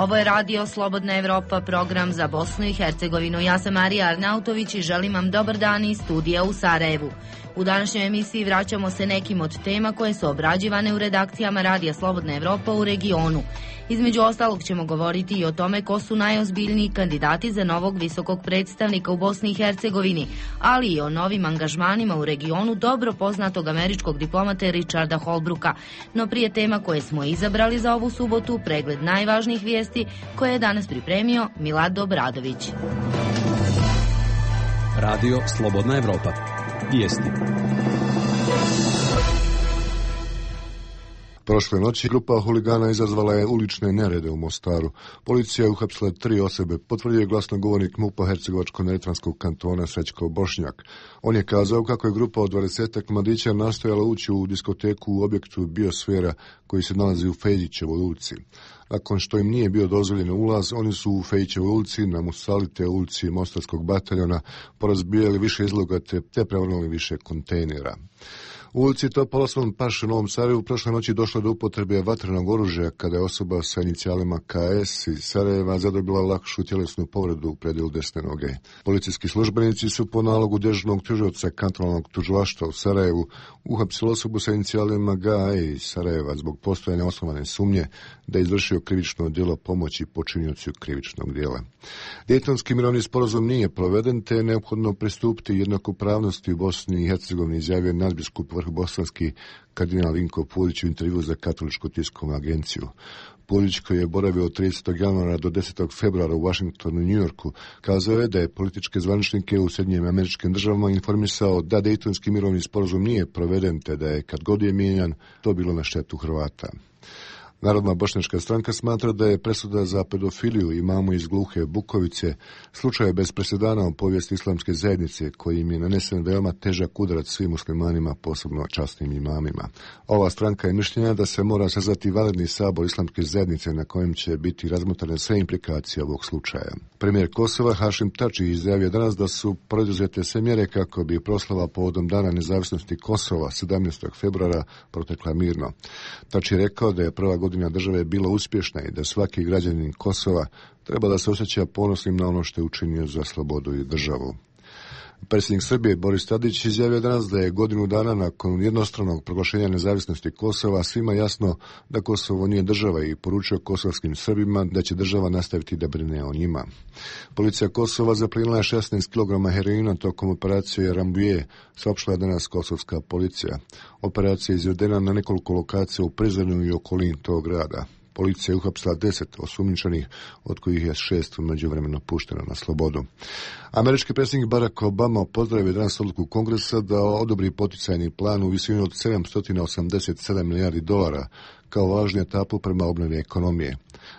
Ovo je radio Slobodna Evropa, program za Bosnu i Hercegovinu. Ja sam Marija Arnautović i želim vam dobar dan iz studija u Sarajevu. U današnjoj emisiji vraćamo se nekim od tema koje su obrađivane u redakcijama Radija Slobodna Evropa u regionu. Između ostalog ćemo govoriti i o tome ko su najozbiljniji kandidati za novog visokog predstavnika u Bosni i Hercegovini, ali i o novim angažmanima u regionu dobro poznatog američkog diplomata Richarda Holbrooka. No prije tema koje smo izabrali za ovu subotu, pregled najvažnijih vijesti koje je danas pripremio Milad Obradović. Radio Slobodna Evropa. Vijesti. Prošle noći grupa huligana izazvala je ulične nerede u Mostaru. Policija je uhapsila 3 osobe, potvrdio je glasnogovornik MUP-a Hercegovačko-neretvanskog kantona Srećko Bošnjak. On je kazao kako je grupa od 20 mladića nastojala ući u diskoteku u objektu Biosfera koji se nalazi u Fejdićevoj ulici. Nakon što im nije bio dozvoljen ulaz, oni su u Fejdićevoj ulici, na Musalite ulici Mostarskog bataljona, porazbijali više izloga te prevrnuli više kontejnera. U ulici Topolosvom Paš u Novom Sarajevu prošle noći došlo do upotrebe vatrenog oružja kada je osoba sa inicijalima KS iz Sarajeva zadobila lakšu tjelesnu povredu u predjelu desne noge. Policijski službenici su po nalogu dežurnog tužioca kantonalnog tužilaštva u Sarajevu uhapsili osobu sa inicijalima GAE iz Sarajeva zbog postojanja osnovane sumnje da je izvršio krivično djelo pomoći počiniocu krivičnog djela. Dejtonski mirovni sporazum nije proveden, te je neophodno pristupiti jednakopravnosti u Bosni i Hercegovini, izjavio nadbiskup vrhbosanski kardinal Vinko Pulić u intervju za Katoličku tiskovnu agenciju. Pulić, koji je boravio od 30. januara do 10. februara u Washingtonu i Njujorku, kazao je da je političke zvaničnike u Sjedinjenim Američkim Državama informisao da Dejtonski mirovni sporazum nije proveden, te da je, kad god je mijenjan, to bilo na štetu Hrvata. Narodna bošnjačka stranka smatra da je presuda za pedofiliju imamu iz Gluhe Bukovice slučaj bez presedana u povijesti islamske zajednice, koji im je nanesen veoma težak udarac svim muslimanima, posebno časnim imamima. Ova stranka je mišljenja da se mora sazvati vanredni sabor islamske zajednice na kojem će biti razmotrene sve implikacije ovog slučaja. Premijer Kosova Hašim Tači izjavio danas da su preduzete sve mjere kako bi proslava povodom Dana nezavisnosti Kosova 17. februara protekla mirno. Tači je rekao da je prva godina države bila uspješna i da svaki građanin Kosova treba da se osjeća ponosnim na ono što je učinio za slobodu i državu. Predsjednik Srbije Boris Tadić izjavio danas da je godinu dana nakon jednostranog proglašenja nezavisnosti Kosova svima jasno da Kosovo nije država i poručio kosovskim Srbima da će država nastaviti da brine o njima. Policija Kosova zaplinila je 16 kg heroina tokom operacije Rambuje, saopštila danas kosovska policija. Operacija je izvedena na nekoliko lokacija u Prizrenu i okolini tog grada. Policija je uhapsila 10 osumnjičenih, od kojih je 6 međuvremeno pušteno na slobodu. Američki predsjednik Barack Obama pozdravio danas odluku Kongresa da odobri poticajni plan u visini od $787 milijardi kao važnu etapu prema obnovi ekonomije.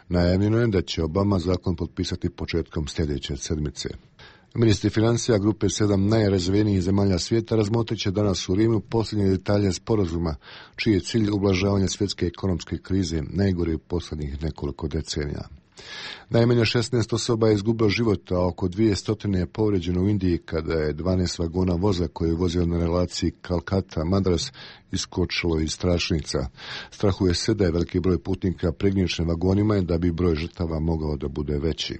Najavljeno je da će Obama zakon potpisati početkom sljedeće sedmice. Ministri financija grupe 7 najrazvijenijih zemalja svijeta razmotrit će danas u Rimu posljednje detalje sporazuma, čiji je cilj ublažavanja svjetske ekonomske krize, najgore u posljednjih nekoliko decenija. Najmanje 16 osoba je izgubilo život, a oko 200 je povrijeđeno u Indiji kada je 12 vagona voza koji je vozio na relaciji Kalkata-Madras iskočilo iz tračnica. Strahuje se da je veliki broj putnika pregnječen vagonima i da bi broj žrtava mogao da bude veći.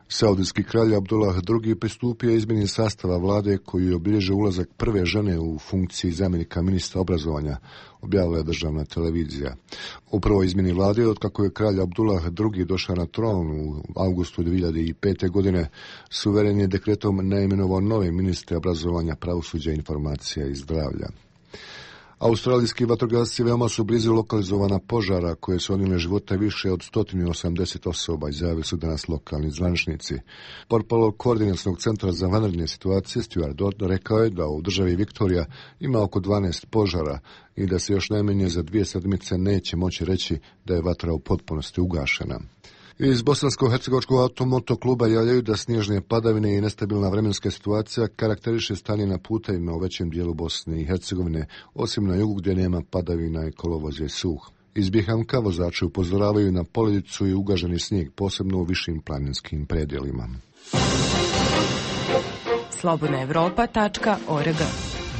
Saudijski kralj Abdullah II pristupio izmjeni sastava vlade koji je obilježio ulazak prve žene u funkciji zamjenika ministra obrazovanja, objavila je državna televizija. U prvoj izmjeni vlade, otkako je kralj Abdullah II došao na tron u avgustu 2005. godine, suveren je dekretom naimenovao nove ministre obrazovanja, pravosuđa, informacija i zdravlja. Australijski vatrogasci veoma su blizu lokalizovana požara koje su odnijele života više od 180 osoba, izjavili su danas lokalni zvaničnici. Portparol Koordinacionog centra za vanredne situacije Stuart Dodd rekao je da u državi Viktorija ima oko 12 požara i da se još najmanje za 2 sedmice neće moći reći da je vatra u potpunosti ugašena. Iz Bosansko-hercegovačkog automotokluba javljaju da snježne padavine i nestabilna vremenska situacija karakteriše stanje na putevima u većem dijelu Bosne i Hercegovine, osim na jugu gdje nema padavina i kolovoz je suh. Iz Bihanka vozači upozoravaju na poledicu i ugaženi snijeg, posebno u višim planinskim predjelima. slobodnaevropa.org.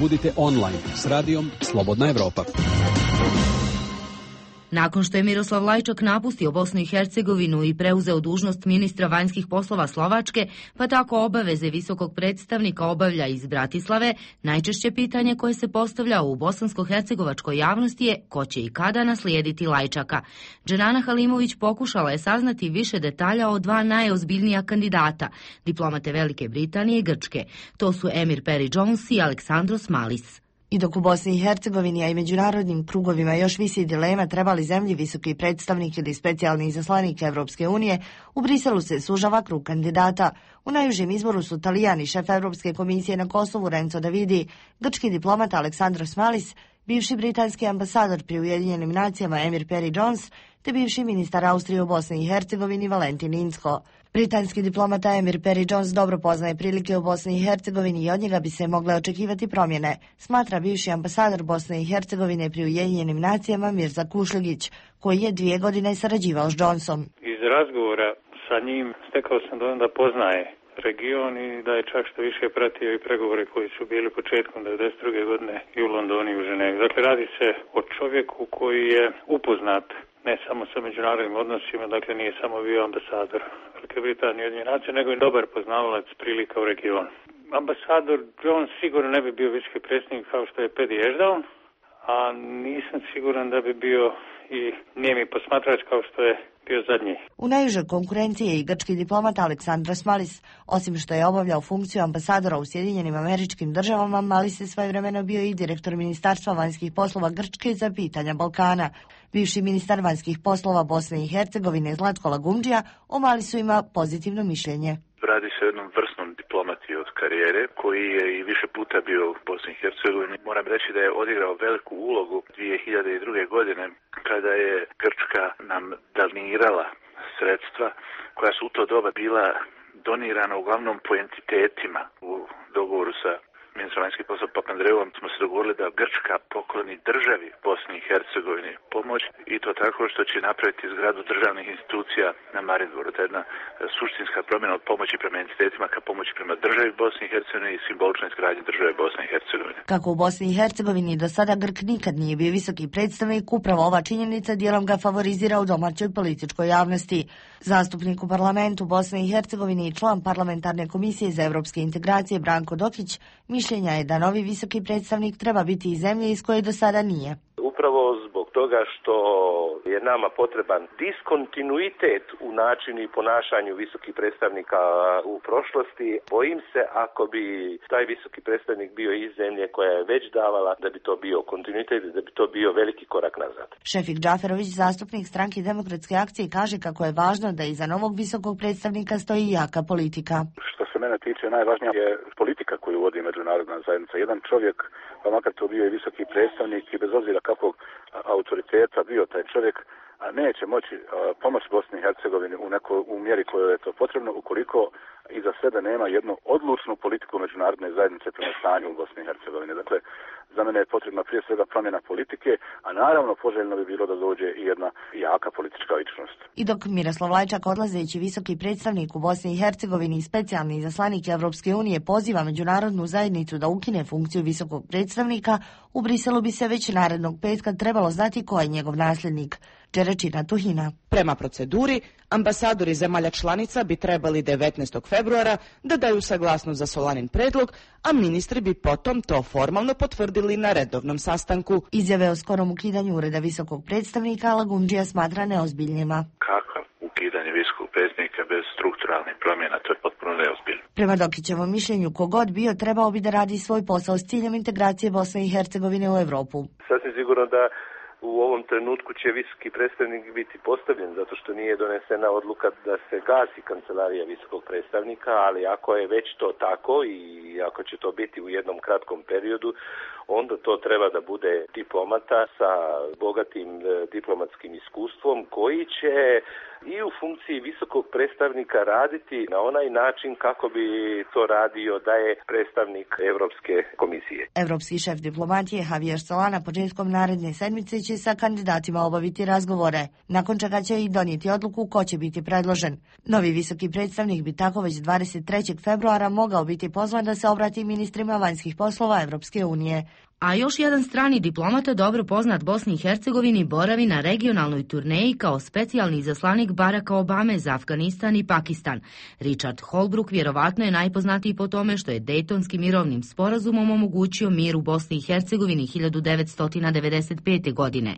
Budite online s radijom Slobodna Evropa. Nakon što je Miroslav Lajčak napustio Bosnu i Hercegovinu i preuzeo dužnost ministra vanjskih poslova Slovačke, pa tako obaveze visokog predstavnika obavlja iz Bratislave, najčešće pitanje koje se postavlja u bosansko-hercegovačkoj javnosti je ko će i kada naslijediti Lajčaka. Dženana Halimović pokušala je saznati više detalja o dva najozbiljnija kandidata, diplomate Velike Britanije i Grčke. To su Emir Peri Jones i Aleksandros Malis. I dok u Bosni i Hercegovini, a i međunarodnim krugovima još visi dilema treba li zemlji visoki predstavnik ili specijalni izaslanik Evropske unije, u Briselu se sužava krug kandidata. U najužem izboru su Talijani, šef Evropske komisije na Kosovu Renzo Davidi, grčki diplomat Aleksandros Malis, bivši britanski ambasador pri Ujedinjenim nacijama Emir Peri Jones, te bivši ministar Austrije u Bosni i Hercegovini Valentin Inzko. Britanski diplomata Emir Peri Jones dobro poznaje prilike u Bosni i Hercegovini i od njega bi se mogle očekivati promjene, smatra bivši ambasador Bosne i Hercegovine pri Ujedinjenim nacijama Mirza Kušljigić, koji je 2 godine sarađivao s Johnsonom. Iz razgovora sa njim stekao sam dojam da poznaje region i da je čak što više pratio i pregovore koji su bili početkom 1992. godine i u Londonu i u Ženevi. Dakle, radi se o čovjeku koji je upoznat ne samo sa međunarodnim odnosima, dakle nije samo bio ambasador Velike Britanije i Ujedinjenih nacija, nego i dobar poznavalac prilika u regionu. Ambasador Jones sigurno ne bi bio visoki predsjednik kao što je Pedi Ešdaun, a nisam siguran da bi bio i nijemi posmatrač kao što je bio zadnji. U najužoj konkurenciji je i grčki diplomat Aleksandros Malis. Osim što je obavljao funkciju ambasadora u Sjedinjenim Američkim Državama, Malis je svojevremeno bio i direktor Ministarstva vanjskih poslova Grčke za pitanja Balkana. Bivši ministar vanjskih poslova Bosne i Hercegovine Zlatko Lagumdžija o Malisu ima pozitivno mišljenje. Radi se o jednom vrsnom diplomati od karijere koji je i više puta bio u Bosni i Hercegovini. Moram reći da je odigrao veliku ulogu 2002. godine kada je Grčka nam donirala sredstva koja su u to doba bila donirana uglavnom po entitetima. U dogovoru sa ministrom vanjskih poslova Papandreouom smo se dogovorili da Grčka pokloni državi Bosni i Hercegovini pomoć i to tako što će napraviti zgradu državnih institucija na Marinboru. To je jedna suštinska promjena od pomoći prema entitetima ka pomoći prema državi Bosni i Hercegovine i simboličnoj izgradnji države Bosne i Hercegovine. Kako u Bosni i Hercegovini do sada Grk nikad nije bio visoki predstavnik, upravo ova činjenica dijelom ga favorizira u domaćoj političkoj javnosti. Zastupnik u parlamentu Bosne i Hercegovine i član parlamentarne komisije za evropske integracije Branko Dokić mišljenja je da novi visoki predstavnik treba biti iz zemlje iz koje do sada nije. Upravo zbog toga što je nama potreban diskontinuitet u načinu i ponašanju visokih predstavnika u prošlosti. Bojim se ako bi taj visoki predstavnik bio iz zemlje koja je već davala da bi to bio kontinuitet, da bi to bio veliki korak nazad. Šefik Džaferović, zastupnik Stranke demokratske akcije, kaže kako je važno da iza novog visokog predstavnika stoji jaka politika. Što se mene tiče, najvažnija je politika koju vodi međunarodna zajednica. Jedan čovjek, pa makar to bio i visoki predstavnik i bez obzira kakvog autoriteta bio taj čovjek, neće moći pomoći Bosni i Hercegovini u mjeri kojoj je to potrebno ukoliko iza sebe nema jednu odlučnu politiku međunarodne zajednice prema stanju u Bosni i Hercegovini. Dakle, za mene je potrebna prije svega promjena politike, a naravno poželjno bi bilo da dođe i jedna jaka politička ličnost. I dok Miroslav Lajčak, odlazeći visoki predstavnik u Bosni i Hercegovini i specijalni izaslanik Evropske unije, poziva međunarodnu zajednicu da ukine funkciju visokog predstavnika, u Briselu bi se već narednog petka trebalo znati ko je njegov nasljednik. Đerečina Tuhina. Prema proceduri, ambasadori zemalja članica bi trebali 19. februara da daju saglasnost za Solanin predlog, a ministri bi potom to formalno potvrdili na redovnom sastanku. Izjave o skorom ukidanju ureda visokog predstavnika Lagumdžija smatra neozbiljnima. Kakav ukidanje visokog predstavnika bez strukturalnih promjena, to je potpuno neozbiljno. Prema Dokićevom mišljenju, kogod bio trebao bi da radi svoj posao s ciljem integracije Bosne i Hercegovine u Evropu. Sasvim sigurno da u ovom trenutku će visoki predstavnik biti postavljen zato što nije donesena odluka da se gasi kancelarija visokog predstavnika, ali ako je već to tako i ako će to biti u jednom kratkom periodu, onda to treba da bude diplomata sa bogatim diplomatskim iskustvom koji će i u funkciji visokog predstavnika raditi na onaj način kako bi to radio da je predstavnik Evropske komisije. Evropski šef diplomatije Javier Solana početkom naredne sedmice će sa kandidatima obaviti razgovore, nakon čega će i donijeti odluku ko će biti predložen. Novi visoki predstavnik bi tako već 23. februara mogao biti pozvan da se obrati ministrima vanjskih poslova Evropske unije. A još jedan strani diplomata, dobro poznat Bosni i Hercegovini, boravi na regionalnoj turneji kao specijalni izaslanik Baracka Obame za Afganistan i Pakistan. Richard Holbrooke vjerovatno je najpoznatiji po tome što je Dejtonskim mirovnim sporazumom omogućio mir u Bosni i Hercegovini 1995. godine.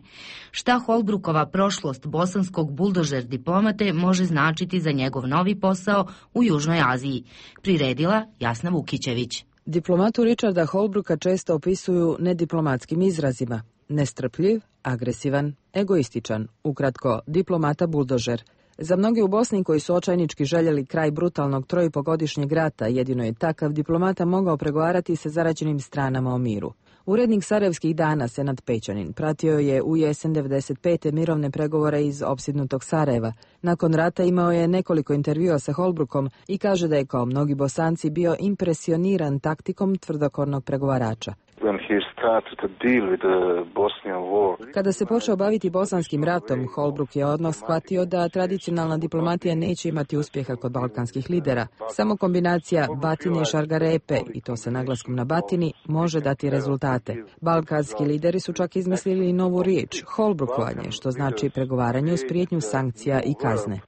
Šta Holbrookova prošlost bosanskog buldožer diplomate može značiti za njegov novi posao u Južnoj Aziji? Priredila Jasna Vukićević. Diplomatu Richarda Holbrooka često opisuju nediplomatskim izrazima: nestrpljiv, agresivan, egoističan, ukratko diplomata buldožer. Za mnogi u Bosni koji su očajnički željeli kraj brutalnog 3,5-godišnjeg rata, jedino je takav diplomata mogao pregovarati sa zaraćenim stranama o miru. Urednik Sarajevskih dana Senad Pećanin pratio je u jesen 1995. mirovne pregovore iz opsjednutog Sarajeva. Nakon rata imao je nekoliko intervjua sa Holbrookom i kaže da je kao mnogi Bosanci bio impresioniran taktikom tvrdokornog pregovarača. Kada se počeo baviti bosanskim ratom, Holbrooke je odmah shvatio da tradicionalna diplomatija neće imati uspjeha kod balkanskih lidera. Samo kombinacija batine i šargarepe, i to sa naglaskom na batini, može dati rezultate. Balkanski lideri su čak izmislili novu riječ, holbrookovanje, što znači pregovaranje uz prijetnju sankcija i kazne.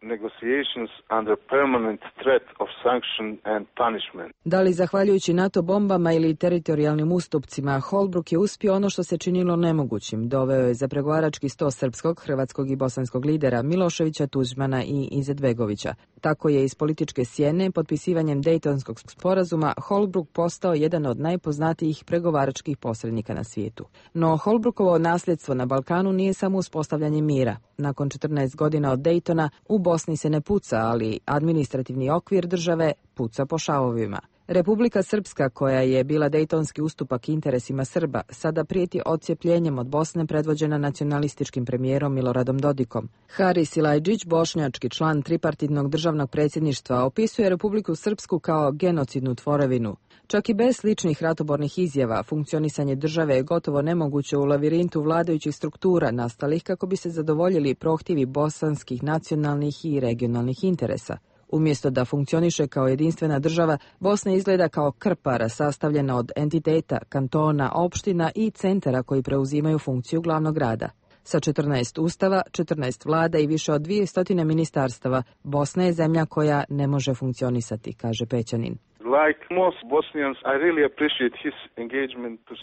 Da li zahvaljujući NATO bombama ili teritorijalnim ustupcima, Holbrooke je uspio ono što se činilo nemogućim. Doveo je za pregovarački sto srpskog, hrvatskog i bosanskog lidera Miloševića, Tuđmana i Izetbegovića. Tako je iz političke sjene, potpisivanjem Dejtonskog sporazuma, Holbrooke postao jedan od najpoznatijih pregovaračkih posrednika na svijetu. No Holbrookovo nasljedstvo na Balkanu nije samo uspostavljanje mira. Nakon 14 godina od Dejtona u Bosni se ne puca, ali administrativni okvir države puca po šavovima. Republika Srpska, koja je bila dejtonski ustupak interesima Srba, sada prijeti odcijepljenjem od Bosne predvođena nacionalističkim premijerom Miloradom Dodikom. Haris Silajdžić, bošnjački član tripartitnog državnog predsjedništva, opisuje Republiku Srpsku kao genocidnu tvorevinu. Čak i bez sličnih ratobornih izjava, funkcionisanje države je gotovo nemoguće u lavirintu vladajućih struktura nastalih kako bi se zadovoljili prohtjevi bosanskih nacionalnih i regionalnih interesa. Umjesto da funkcioniše kao jedinstvena država, Bosna izgleda kao krpara sastavljena od entiteta, kantona, opština i centara koji preuzimaju funkciju glavnog grada. Sa 14 ustava, 14 vlada i više od 200 ministarstava, Bosna je zemlja koja ne može funkcionisati, kaže Pećanin.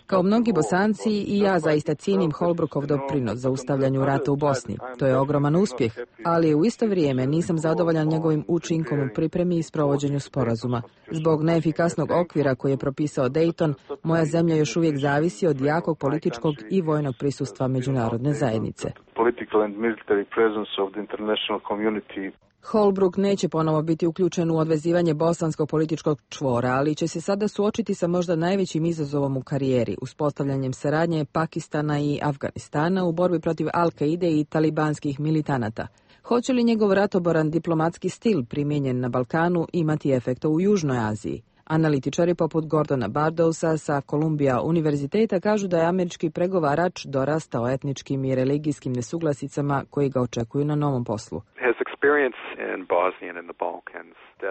Kao mnogi Bosanci i ja zaista cijenim Holbrookov doprinos za ustavljanju rata u Bosni. To je ogroman uspjeh, ali u isto vrijeme nisam zadovoljan njegovim učinkom u pripremi i sprovođenju sporazuma. Zbog neefikasnog okvira koji je propisao Dayton, moja zemlja još uvijek zavisi od jakog političkog i vojnog prisustva međunarodne zajednice. Holbrooke neće ponovo biti uključen u odvezivanje bosanskog političkog čvora, ali će se sada suočiti sa možda najvećim izazovom u karijeri, uspostavljanjem saradnje Pakistana i Afganistana u borbi protiv Al-Kaide i talibanskih militanata. Hoće li njegov ratoboran diplomatski stil primijenjen na Balkanu imati efekta u Južnoj Aziji? Analitičari poput Gordona Bardousa sa Columbia univerziteta kažu da je američki pregovarač dorastao etničkim i religijskim nesuglasicama koji ga očekuju na novom poslu.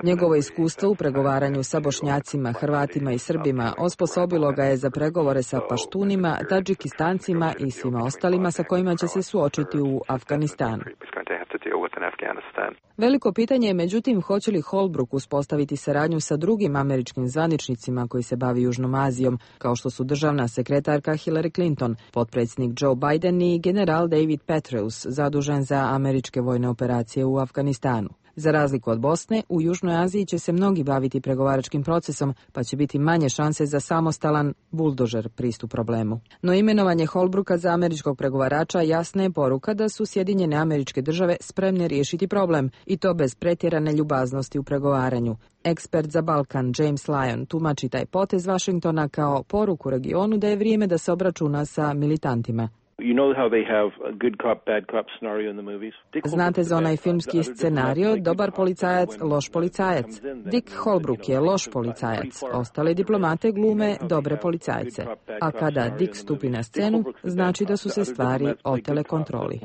Njegovo iskustvo u pregovaranju sa Bošnjacima, Hrvatima i Srbima osposobilo ga je za pregovore sa Paštunima, Tadžikistancima i svima ostalima sa kojima će se suočiti u Afganistanu. Veliko pitanje je međutim hoće li Holbrooke uspostaviti saradnju sa drugim američkim zvaničnicima koji se bavi Južnom Azijom, kao što su državna sekretarka Hillary Clinton, potpredsjednik Joe Biden i general David Petraeus, zadužen za američke vojne operacije u Afganistanu. Za razliku od Bosne, u Južnoj Aziji će se mnogi baviti pregovaračkim procesom, pa će biti manje šanse za samostalan buldožer pristup problemu. No imenovanje Holbrooka za američkog pregovarača jasna je poruka da su Sjedinjene Američke Države spremne riješiti problem, i to bez pretjerane ljubaznosti u pregovaranju. Ekspert za Balkan James Lyon tumači taj potez Washingtona kao poruku regionu da je vrijeme da se obračuna sa militantima. Znate za onaj filmski scenario, dobar policajac, loš policajac. Dick Holbrooke je loš policajac, ostale diplomate glume dobre policajce. A kada Dick stupi na scenu, znači da su se stvari otele kontroli.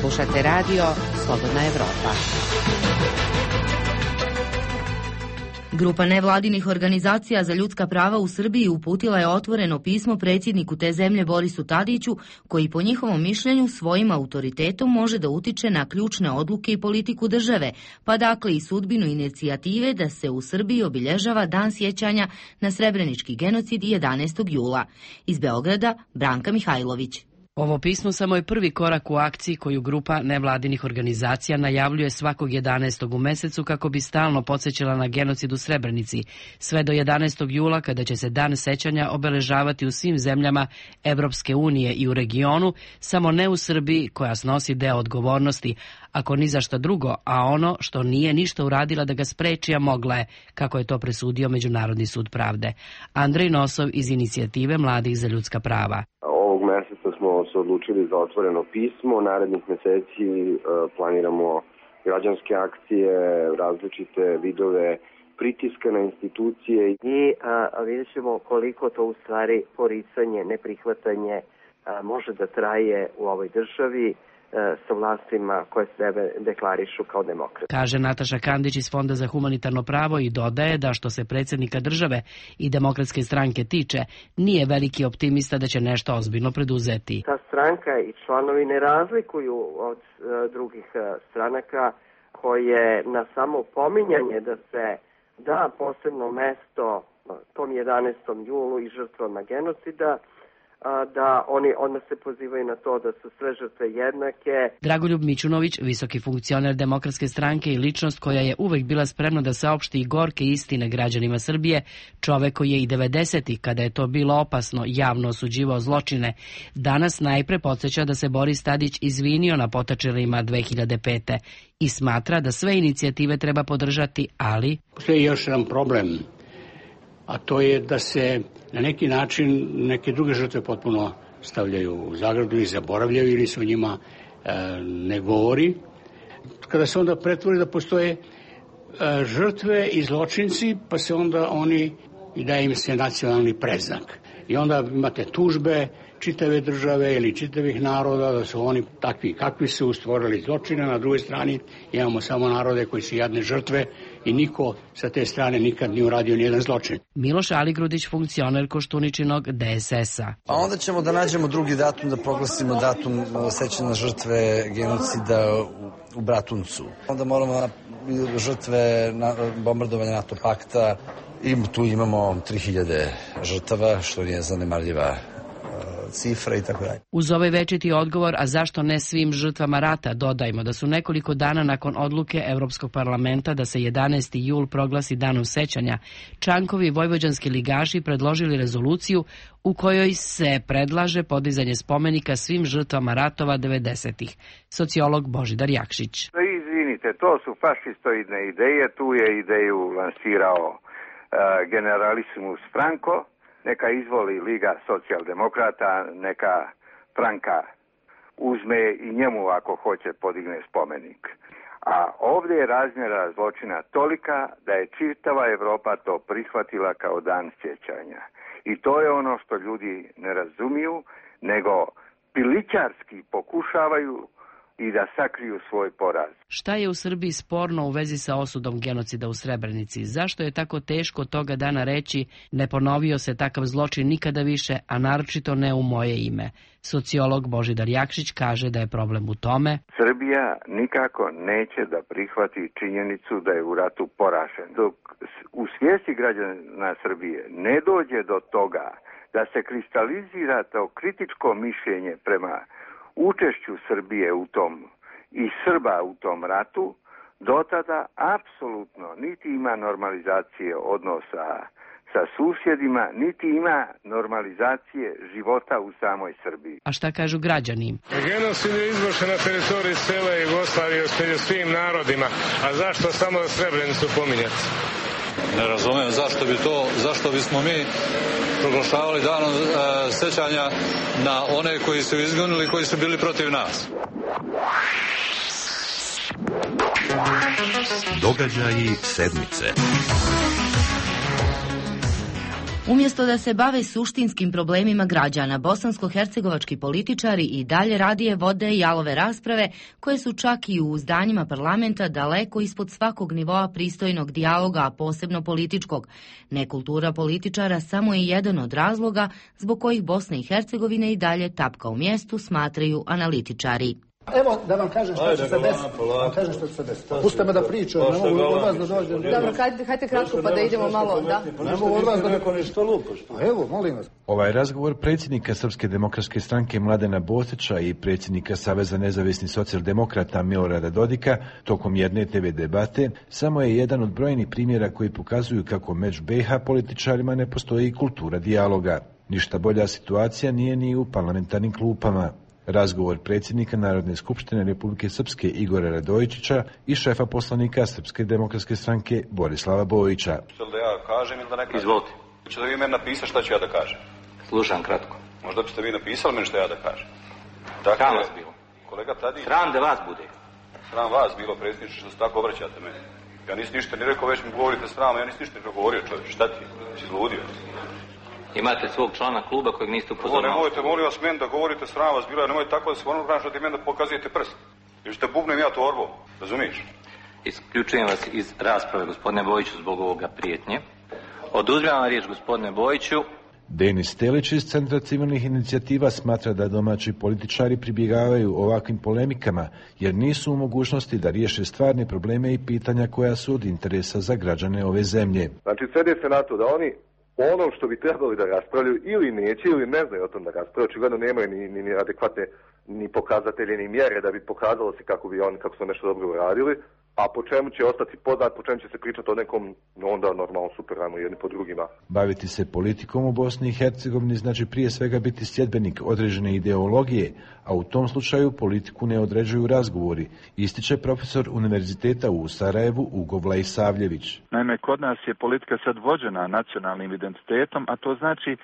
Slušate radio Slobodna Evropa. Grupa nevladinih organizacija za ljudska prava u Srbiji uputila je otvoreno pismo predsjedniku te zemlje Borisu Tadiću, koji po njihovom mišljenju svojim autoritetom može da utiče na ključne odluke i politiku države, pa dakle i sudbinu inicijative da se u Srbiji obilježava Dan sjećanja na srebrenički genocid 11. jula. Iz Beograda, Branka Mihajlović. Ovo pismo samo je prvi korak u akciji koju grupa nevladinih organizacija najavljuje svakog 11. u mesecu kako bi stalno podsjećala na genocid u Srebrenici, sve do 11. jula kada će se Dan sećanja obeležavati u svim zemljama Evropske unije i u regionu, samo ne u Srbiji koja snosi deo odgovornosti, ako ni za šta drugo, a ono što nije ništa uradila da ga spreči, a mogla je, kako je to presudio Međunarodni sud pravde. Andrej Nosov iz inicijative Mladih za ljudska prava. Ovog meseca smo se odlučili za otvoreno pismo. Narednih meseci planiramo građanske akcije, različite vidove pritiska na institucije. I vidjet ćemo koliko to u stvari poricanje, neprihvatanje može da traje u ovoj državi sa vlastima koje sebe deklarišu kao demokrate. Kaže Nataša Kandić iz Fonda za humanitarno pravo i dodaje da što se predsjednika države i Demokratske stranke tiče, nije veliki optimista da će nešto ozbiljno preduzeti. Ta stranka i članovi ne razlikuju od drugih stranaka koje na samo pominjanje da se da posebno mesto tom 11. julu i žrtvama genocida, da oni odmah se pozivaju na to da su sve žrtve jednake. Dragoljub Mićunović, visoki funkcioner Demokratske stranke i ličnost koja je uvek bila spremna da saopšti i gorke istine građanima Srbije, čovek koji je i 90-ih, kada je to bilo opasno, javno osuđivao zločine, danas najpre podsjeća da se Boris Tadić izvinio na potačelima 2005. i smatra da sve inicijative treba podržati, ali... Postoji još jedan problem, a to je da se na neki način neke druge žrtve potpuno stavljaju u zagradu i zaboravljaju ili se o njima ne govori. Kada se onda pretvori da postoje žrtve i zločinci, pa se onda oni i daje im se nacionalni predznak. I onda imate tužbe čitave države ili čitavih naroda da su oni takvi kakvi su stvorili zločine. Na drugoj strani imamo samo narode koji su jadne žrtve i niko sa te strane nikad nije uradio nijedan zločin. Miloš Aligrudić, funkcioner Koštuničinog DSS-a. A onda ćemo da nađemo drugi datum, da proglasimo datum sećanja na žrtve genocida u Bratuncu. Onda moramo žrtve bombardovanja NATO pakta i tu imamo 3000 žrtava, što nije zanemarljiva cifra i tako dalje. Uz ovaj večiti odgovor, a zašto ne svim žrtvama rata, dodajmo da su nekoliko dana nakon odluke Evropskog parlamenta da se 11. jul proglasi danom sećanja, Čankovi vojvođanski ligaši predložili rezoluciju u kojoj se predlaže podizanje spomenika svim žrtvama ratova 90-ih. Sociolog Božidar Jakšić. Izvinite, to su fašistoidne ideje, tu je ideju lansirao generalisimus Franco. Neka izvoli Liga socijaldemokrata, neka Franka uzme i njemu ako hoće podigne spomenik. A ovdje je razmjera zločina tolika da je čitava Evropa to prihvatila kao dan sjećanja. I to je ono što ljudi ne razumiju, nego pilićarski pokušavaju i da sakriju svoj poraz. Šta je u Srbiji sporno u vezi sa osudom genocida u Srebrenici? Zašto je tako teško toga dana reći ne ponovio se takav zločin nikada više, a naročito ne u moje ime? Sociolog Božidar Jakšić kaže da je problem u tome. Srbija nikako neće da prihvati činjenicu da je u ratu poražen. Dok u svijesti građana Srbije ne dođe do toga da se kristalizira to kritičko mišljenje prema učešću Srbije u tom i Srba u tom ratu, do tada apsolutno niti ima normalizacije odnosa sa susjedima, niti ima normalizacije života u samoj Srbiji. A šta kažu građani? Genocid je izvršen na teritoriji cele Jugoslavije među svim narodima, a zašto samo Srebrenicu pominjati? Ne razumijem zašto bismo mi proglašavali danom sećanja na one koji su izgonili, koji su bili protiv nas. Događaji sedmice. Umjesto da se bave suštinskim problemima građana, bosansko-hercegovački političari i dalje radije vode jalove rasprave koje su čak i u zdanjima parlamenta daleko ispod svakog nivoa pristojnog dijaloga, a posebno političkog. Nekultura političara samo je jedan od razloga zbog kojih Bosna i Hercegovina i dalje tapka u mjestu, smatraju analitičari. Evo da vam kažem što će se desiti. Pustite me da pričam, ne mogu od vas da dođem. Dobro, hajde kratko pa da idemo malo, da. Ne mogu od vas da neko nešto lupaš. Evo, molim vas. Ovaj razgovor predsjednika Srpske demokratske stranke Mladena Bosića i predsjednika Saveza nezavisnih socijaldemokrata Milorada Dodika tokom jedne TV debate samo je jedan od brojnih primjera koji pokazuju kako među BiH političarima ne postoji kultura dijaloga. Ništa bolja situacija nije ni u parlamentarnim klupama. Razgovor predsjednika Narodne skupštine Republike Srpske Igora Radojičića i šefa poslanika Srpske demokratske stranke Borislava Bojića. Da ja kažem ili da ne kažem? Izvolite. Hoćete vi meni napisati šta ću ja da kažem? Slušam kratko. Možda biste vi napisali meni šta ja da kažem. Dakle, sram vas bilo. Kolega Tadić. Sram da vas bude. Sram vas bilo, predsjedniče, što se tako obraćate meni. Ja nisam ništa ni rekao, već mi govorite sram, ja nisam ništa ni progovorio, čovječ. Šta ti? Si izludio? Imate svog člana kluba kojeg niste upozoravali. Nemojte, molim vas, meni da govorite sram vas bilo, nemojte tako da se ono što ti meni da pokazujete prst. Jer ćete bubnem ja torbom, razumiješ? Isključujem vas iz rasprave, gospodine Bojiću, zbog ovoga prijetnje. Oduzimam vam riječ, gospodine Bojiću. Denis Telić iz Centra civilnih inicijativa smatra da domaći političari pribjegavaju ovakvim polemikama jer nisu u mogućnosti da riješe stvarne probleme i pitanja koja su od interesa za građane ove zemlje. Znači, svede se na to da oni ono što bi trebali da raspravljaju ili neće ili ne znaju o tom da raspravljaju, očigledno nemaju ni adekvatne ni pokazatelje ni mjere da bi pokazalo se kako su nešto dobro uradili, a po čemu će ostati poznat, po čemu će se pričati o nekom, onda normalno super, ajmo jedni po drugima. Baviti se politikom u Bosni i Hercegovini znači prije svega biti sljedbenik određene ideologije, a u tom slučaju politiku ne određuju razgovori, ističe profesor Univerziteta u Sarajevu Ugo Vlajsavljević. Naime, kod nas je politika sad vođena nacionalnim identitetom, a to znači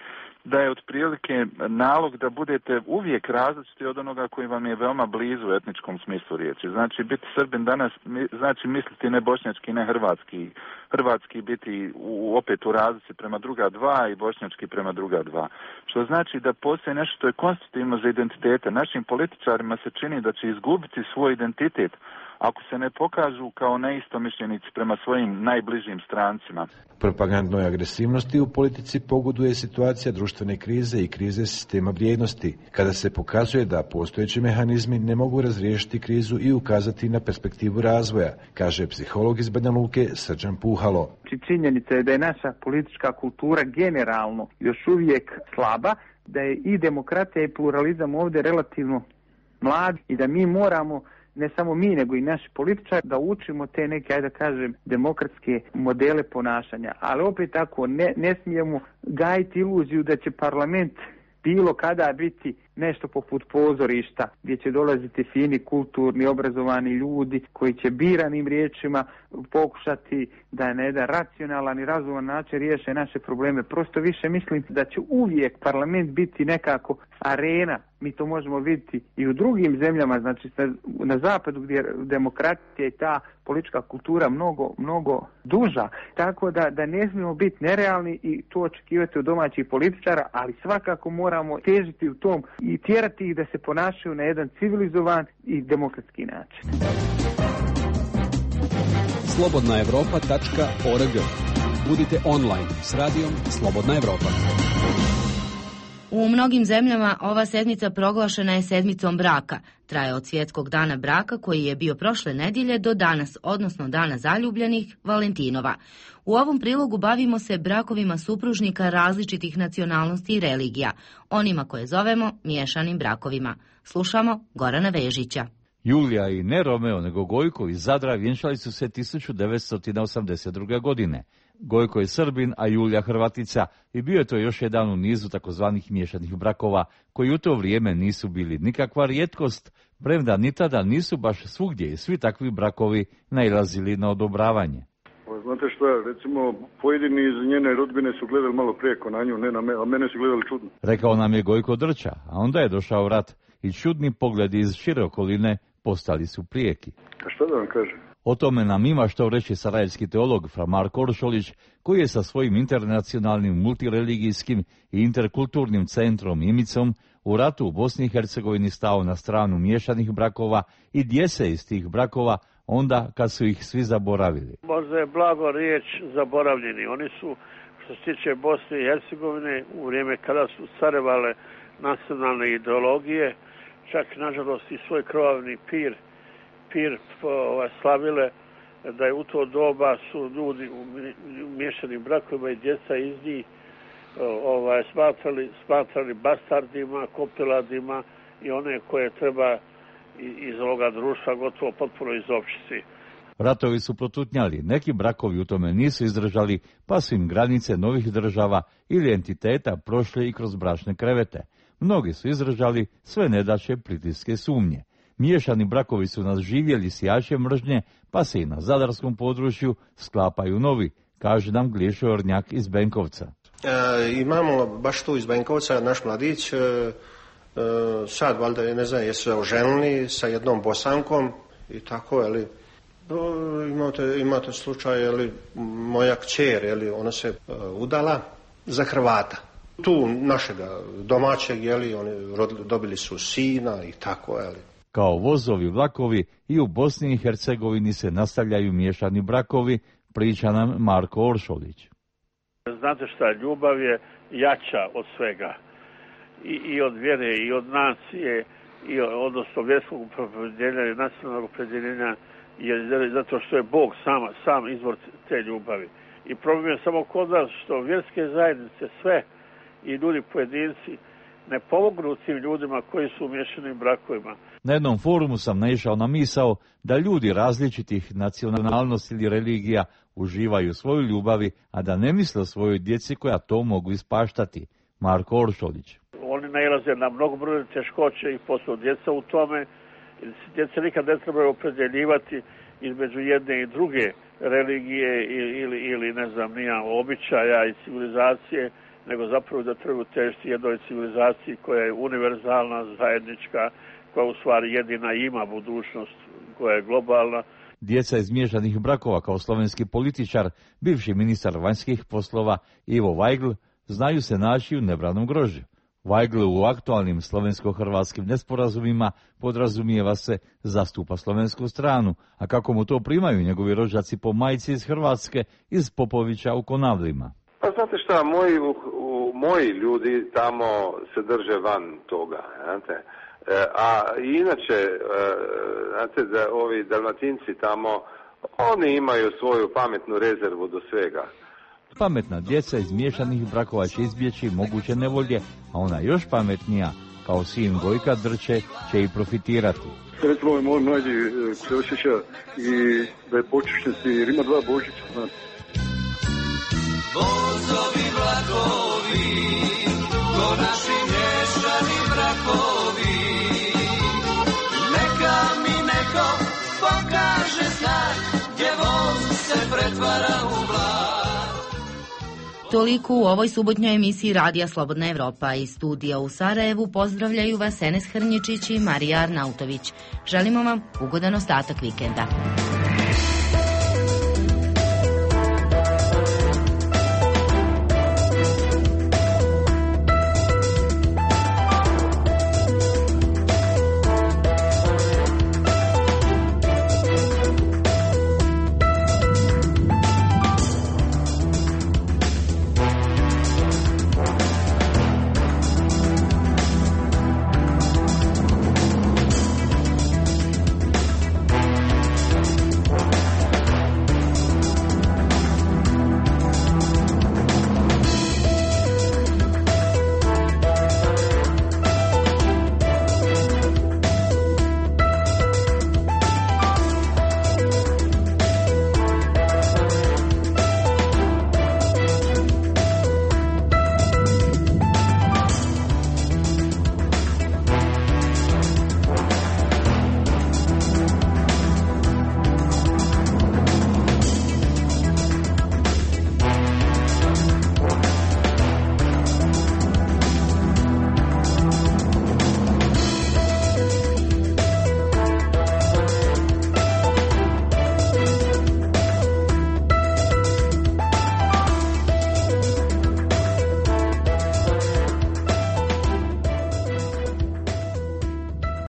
da je otprilike nalog da budete uvijek različiti od onoga koji vam je veoma blizu u etničkom smislu riječi. Znači, biti Srbin danas znači misliti ne bošnjački, ne hrvatski. Hrvatski biti opet u razlici prema druga dva i bošnjački prema druga dva. Što znači da postoji nešto što je konstitutivno za identitete. Našim političarima se čini da će izgubiti svoj identitet ako se ne pokažu kao neistomišljenici prema svojim najbližim strancima. Propagandnoj agresivnosti u politici pogoduje situacija društvene krize i krize sistema vrijednosti, kada se pokazuje da postojeći mehanizmi ne mogu razriješiti krizu i ukazati na perspektivu razvoja, kaže psiholog iz Banja Luke Srđan Puhalo. Činjenica je da je naša politička kultura generalno još uvijek slaba, da je i demokratija i pluralizam ovdje relativno mlad i da mi moramo, ne samo mi, nego i naši političari, da učimo te neke, ajde da kažem, demokratske modele ponašanja. Ali opet tako, ne smijemo gajiti iluziju da će parlament bilo kada biti nešto poput pozorišta, gdje će dolaziti fini, kulturni, obrazovani ljudi koji će biranim riječima pokušati da na jedan racionalan i razuman način riješe naše probleme. Prosto više mislim da će uvijek parlament biti nekako arena. Mi to možemo vidjeti i u drugim zemljama, znači na zapadu gdje je demokratija i ta politička kultura mnogo duža. Tako da ne smijemo biti nerealni i to očekivati od domaćih političara, ali svakako moramo težiti u tom i tjerati ih da se ponašaju na jedan civilizovan i demokratski način. slobodnaevropa.org. Budite online s radijom Slobodna Evropa. U mnogim zemljama ova sedmica proglašena je sedmicom braka. Traje od svjetskog dana braka koji je bio prošle nedjelje do danas, odnosno dana zaljubljenih, Valentinova. U ovom prilogu bavimo se brakovima supružnika različitih nacionalnosti i religija, onima koje zovemo miješanim brakovima. Slušamo Gorana Vežića. Julija i ne Romeo, nego Gojko iz Zadra vjenčali su se 1982. godine. Gojko je Srbin, a Julija Hrvatica i bio je to još jedan u nizu takozvanih miješanih brakova, koji u to vrijeme nisu bili nikakva rijetkost, premda ni tada nisu baš svugdje i svi takvi brakovi nailazili na odobravanje. Znate što, recimo, pojedini iz njene rodbine su gledali malo prijeko na nju, ne na mene, a mene su gledali čudno. Rekao nam je Gojko Drča, a onda je došao rat i čudni pogledi iz šire okoline postali su prijeki. A što da vam kažem? O tome nam ima što reći sarajevski teolog fra Marko Oršolić, koji je sa svojim internacionalnim multireligijskim i interkulturnim centrom Imicom u ratu u Bosni i Hercegovini stao na stranu miješanih brakova i djece iz tih brakova onda kad su ih svi zaboravili. Možda je blago riječ zaboravljeni. Oni su, što se tiče Bosne i Hercegovine, u vrijeme kada su carevale nacionalne ideologije, čak nažalost i svoj krvavni pir slavile, da je u to doba su ljudi u miješanim brakovima i djeca iz njih smatrali bastardima, kopiladima i one koje treba iz ovoga društva gotovo potpuno izopštiti. Ratovi su protutnjali, neki brakovi u tome nisu izdržali, pa su im granice novih država ili entiteta prošle i kroz bračne krevete. Mnogi su izdržali sve nedaće, pritiske, sumnje. Miješani brakovi su nas živjeli sijače mržnje, pa se i na zadarskom području sklapaju novi, kaže nam Glišo Ornjak iz Benkovca. Imamo baš tu iz Benkovca naš mladić, sad valjda ne znam jesu se oženili sa jednom Bosankom i tako, ali imate slučaj, jeli, moja kćer, jeli, ona se udala za Hrvata. Tu našega domaćeg, jeli, oni dobili su sina i tako, jeli. Kao vozovi vlakovi i u Bosni i Hercegovini se nastavljaju miješani brakovi, priča nam Marko Oršolić. Znate šta, ljubav je jača od svega. I od vjere, i od nacije, odnosno vjerskog opredjeljenja i nacionalnog opredjeljenja, zato što je Bog sam izvor te ljubavi. I problem je samo kod nas što vjerske zajednice sve i ljudi pojedinci ne pomognu tim ljudima koji su u miješanim brakovima. Na jednom forumu sam naišao na misao da ljudi različitih nacionalnosti ili religija uživaju svoju ljubavi, a da ne misle o svojoj djeci koja to mogu ispaštati. Marko Oršolić. Oni nailaze na mnogobrojne teškoće i posle djeca u tome. Djeca nikad ne trebaju opredjeljivati između jedne i druge religije ili ne znam, običaja i civilizacije, nego zapravo da trebaju težiti jednoj civilizaciji koja je univerzalna, zajednička, koja u stvari jedina ima budućnost, koja je globalna. Djeca iz miješanih brakova kao slovenski političar, bivši ministar vanjskih poslova Ivo Vajgl, znaju se naći u nebranom grožđu. Vajgl u aktualnim slovensko-hrvatskim nesporazumima podrazumijeva se zastupa slovensku stranu, a kako mu to primaju njegovi rođaci po majci iz Hrvatske, iz Popovića u Konavlima. Pa znate šta, moji ljudi tamo se drže van toga, znate. A inače, znate da ovi Dalmatinci tamo, oni imaju svoju pametnu rezervu do svega. Pametna djeca iz miješanih brakova će izbjeći moguće nevolje, a ona još pametnija, kao sin Gojka Drče, će i profitirati. Recimo, moj mlađi se osjeća i da je počišćen jer ima 2 Božića. Vozovi vlakovi, ko naši miješani brakovi, neka mi neko pokaže znak, gdje voz se pretvara u vlak. Toliko u ovoj subotnjoj emisiji Radija Slobodna Evropa. Iz studija u Sarajevu pozdravljaju vas Enes Hrnjičić i Marija Arnautović. Želimo vam ugodan ostatak vikenda.